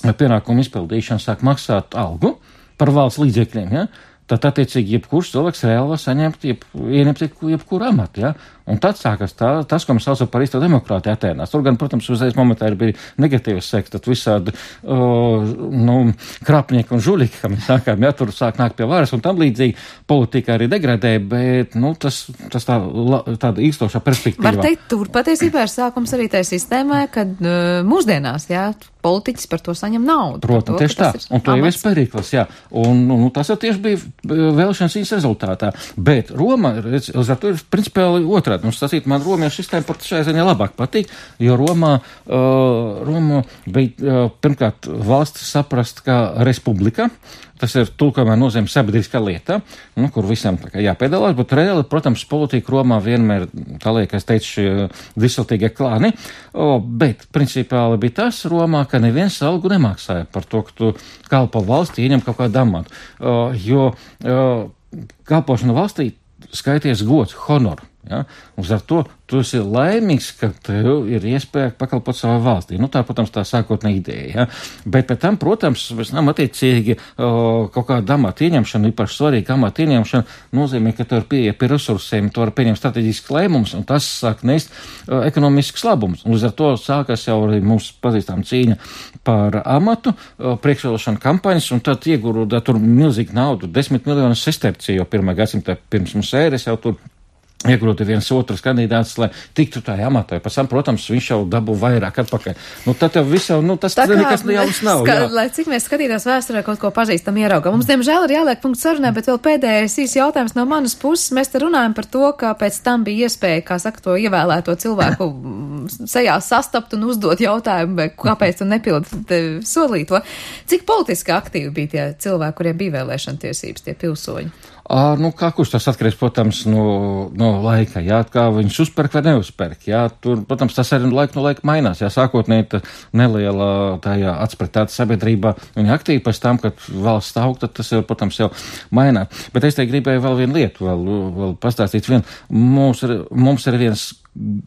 pienākumu izpildīšanu sāk maksāt algu par valsts līdzekļiem, ja? Tad attiecīgi jebkurš cilvēks reāli var saņemt, ieņemt jebkuru amatu, ja? Un tad sākas tas, ko mēs saucam par īsto demokrātiju Atēnās. Tur gan, protams, uzreiz momentā bija negatīvs seks, tad visādi krāpnieki un žuļiki, kā mēs sākām, tur sāk nākt pie varas un tam līdzīgi politika arī degradēja, bet, tas tāda īstošā perspektīva. Var teikt, tur patiesībā ir sākums arī tai sistēmai, kad mūsdienās, politiķis par to saņem naudu. Protams, tieši tā. Un to jau ir Perikls, Un tas jau tieši bija vēlēšanas viņas rezultātā. Bet Roma, uz ar to ir principiāli otrādi. Man romiešu sistēma pat šajā ziņā labāk patīk, jo Roma bija pirmkārt valsts saprast kā republika. Tas ir tulkojumā nozīmē sabiedriskā lieta, kur visam jāpiedalās, bet reāli, protams, politika Romā vienmēr, tā liek, es teicu, šie disiltīgie klāni, bet principāli bija tas Romā, ka neviens algu nemaksāja par to, ka tu kalpo valstī, ieņem kaut kādu amatu, jo kalpošana valstī skaities gods, honor. Un ar to tu esi laimīgs, ka tev ir iespēja pakalpot savai valstī. Tā, protams, tā sākotnē ideja. Bet pēc tam, protams, attiecīgi kaut kāda amata ieņemšana, īpaši svarīga amata ieņemšana nozīmē, ka tev ir pieeja pie resursiem, tu vari pieņemt strateģisks lēmums, un tas sāk nest ekonomisks labums. Un līdz ar to sākas jau arī mums pazīstām cīņa par amatu, priekšvēlēšana kampaņas, un tad iegūda tur milzīgi naudu, 10 miljonus sesterciju, jo 1. gadsimta pirms mums ēras jau tur iegrūti viens otrs kandidāts, lai tiktu tajā amatā. Pēc tam, protams, viņš jau dabū vairāk atpakaļ. Tad jau viss jau, tas nekas jauns nav. Lai cik mēs skatītās vēsturē kaut ko pazīstam ieraugam. Mums, diemžēl, ir jāliek punkts sarunai, bet vēl pēdējais īs jautājums no manas puses. Mēs te runājam par to, ka pēc tam bija iespēja, kā saka, to ievēlēto cilvēku sejā sastapt un uzdot jautājumu, kāpēc tu nepildi solīto. Cik politiski aktīvi bija tie cilvēki, kuriem bija vēlēšana tiesības, tie pilsoņi? Kā kurš tas atkarīgs, protams, no laika, kā viņš uzperk vai neuzperk, tur, protams, tas arī laiku no laika mainās, sākotnēji neliela tajā atspretāta sabiedrībā, viņa aktīvi pēc tam, kad valsts aug, tad tas jau, protams, jau mainās. Bet es te gribēju vēl vienu lietu, vēl pastāstīt mums ir viens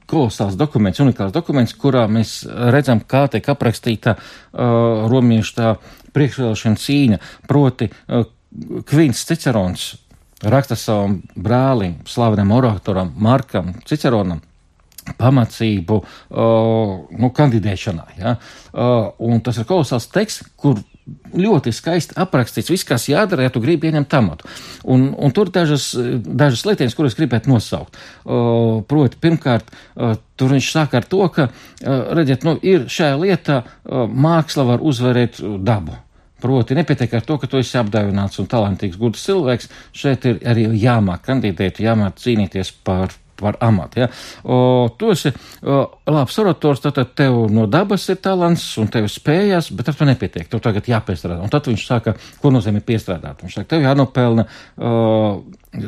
kolosāls dokuments, unikāls dokuments, kurā mēs redzam, kā tiek aprakstīta romiešu tā priekšvēlēšana cīņa, proti Kvīns Cicerons raksta savam brālim, slavenam oratoram Markam Ciceronam pamācību kandidēšanā. Un tas ir kolosāls teksts, kur ļoti skaisti aprakstīts viss, kas jādara, ja tu gribi ieņemt amatu. Un tur dažas lietienes, kuras gribētu nosaukt. Proti, pirmkārt, tur viņš sāk ar to, ka, redziet, ir šajā lietā māksla var uzvarēt dabu. Proti, nepietiek ar to, ka tu esi apdāvināts un talantīgs, gudrs cilvēks, šeit ir arī jāmāk kandidēt, jāmāk cīnīties par amatu. Tu esi labs orators, tad tev no dabas ir talants un tev spējas, bet ar to nepietiek, tev tagad jāpiestrādā. Un tad viņš saka, ko nozīmē piestrādāt. Viņš saka, tev jānopelna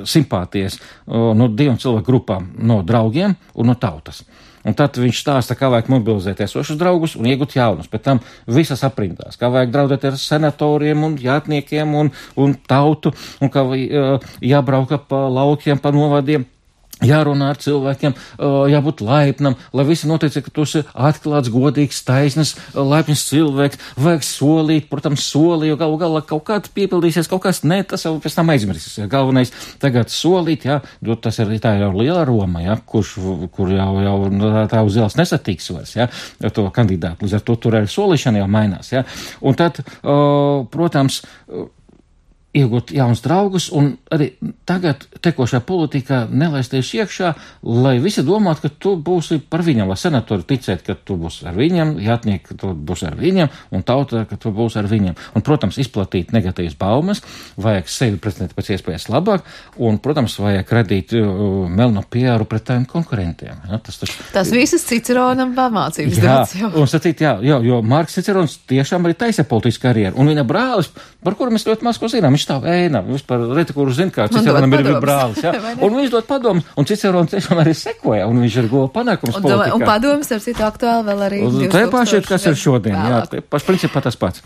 simpātijas no 2 cilvēku grupām, no draugiem un no tautas. Un tad viņš stāsta, kā vajag mobilizēt esošus draugus un iegūt jaunus. Pēc tam visas aprindās, kā vajag draudēt ar senatoriem un jātniekiem un tautu, un kā jābrauka pa laukiem, pa novadiem. Jārunā ar cilvēkiem, jābūt laipnam, lai visi notiek, ka tu esi atklāts, godīgs, taisnes, laipns cilvēks, vajag solīt, protams, jo galu galā kaut kāds piepildīsies, kaut kas ne, tas jau pēc tam aizmirsīs. Galvenais tagad solīt, jo tas ir tā jau liela Roma, kur jau tā uz ielas nesatiks vairs, to kandidātu. Līdz ar to tur arī solīšana jau mainās, Un tad, protams, iegūt jaunus draugus un arī tagad tekošā politikā nelaisties iekšā, lai visi domātu, ka tu būsi par viņam, lai senatori ticēt, ka tu būsi ar viņam, jātnieki, ka tu būsi ar viņam un tauta, ka tu būsi ar viņam. Un, protams, izplatīt negatīvas baumas, vajag sevi prezentēt pēc iespējas labāk un, protams, vajag radīt melno PR pret tādiem konkurentiem. Tas visas Ciceronam pamācības daudz jau. Un sacīt, jo Marks Cicerons tiešām arī taisa politisku karjeru. Un viņa brālis, par kuru mēs ļoti maz ko zinām, tā ēna, vispār reti, kurš zina, kā Ciceronam ir brālis, un viņš dod padomus, un Cicerons tiešām arī sekoja, un viņš ir guva panākums politikā. Un padomus ar citu aktuāli vēl arī 2000. Tā paši ir, kas ir šodien, principā tas pats.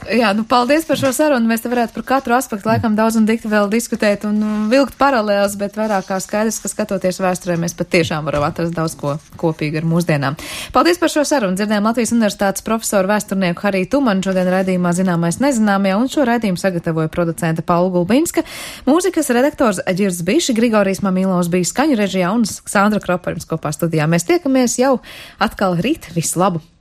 Paldies par šo sarunu, mēs te varētu par katru aspektu laikam daudz un dikti vēl diskutēt un vilkt paralēlas, bet vairāk kā skaidrs, ka skatoties vēsturē, mēs pat tiešām varam atrast daudz ko kopīgi ar mūsdienām. Paldies par šo sarunu, dzirdējām Latvijas Universitātes profesoru vēsturnieku Hariju Tumanu, šodien raidījumā Zināmais nezināmajā, un šo raidījumu sagatavoja producente Paula Gulbinska, mūzikas redaktors Ģirds Biši, Grigorijs Mamilovs bija skaņu režijā un Sandra Kropa jums kopā studijā. Mēs tiekamies jau atkal rīt. Visu labu!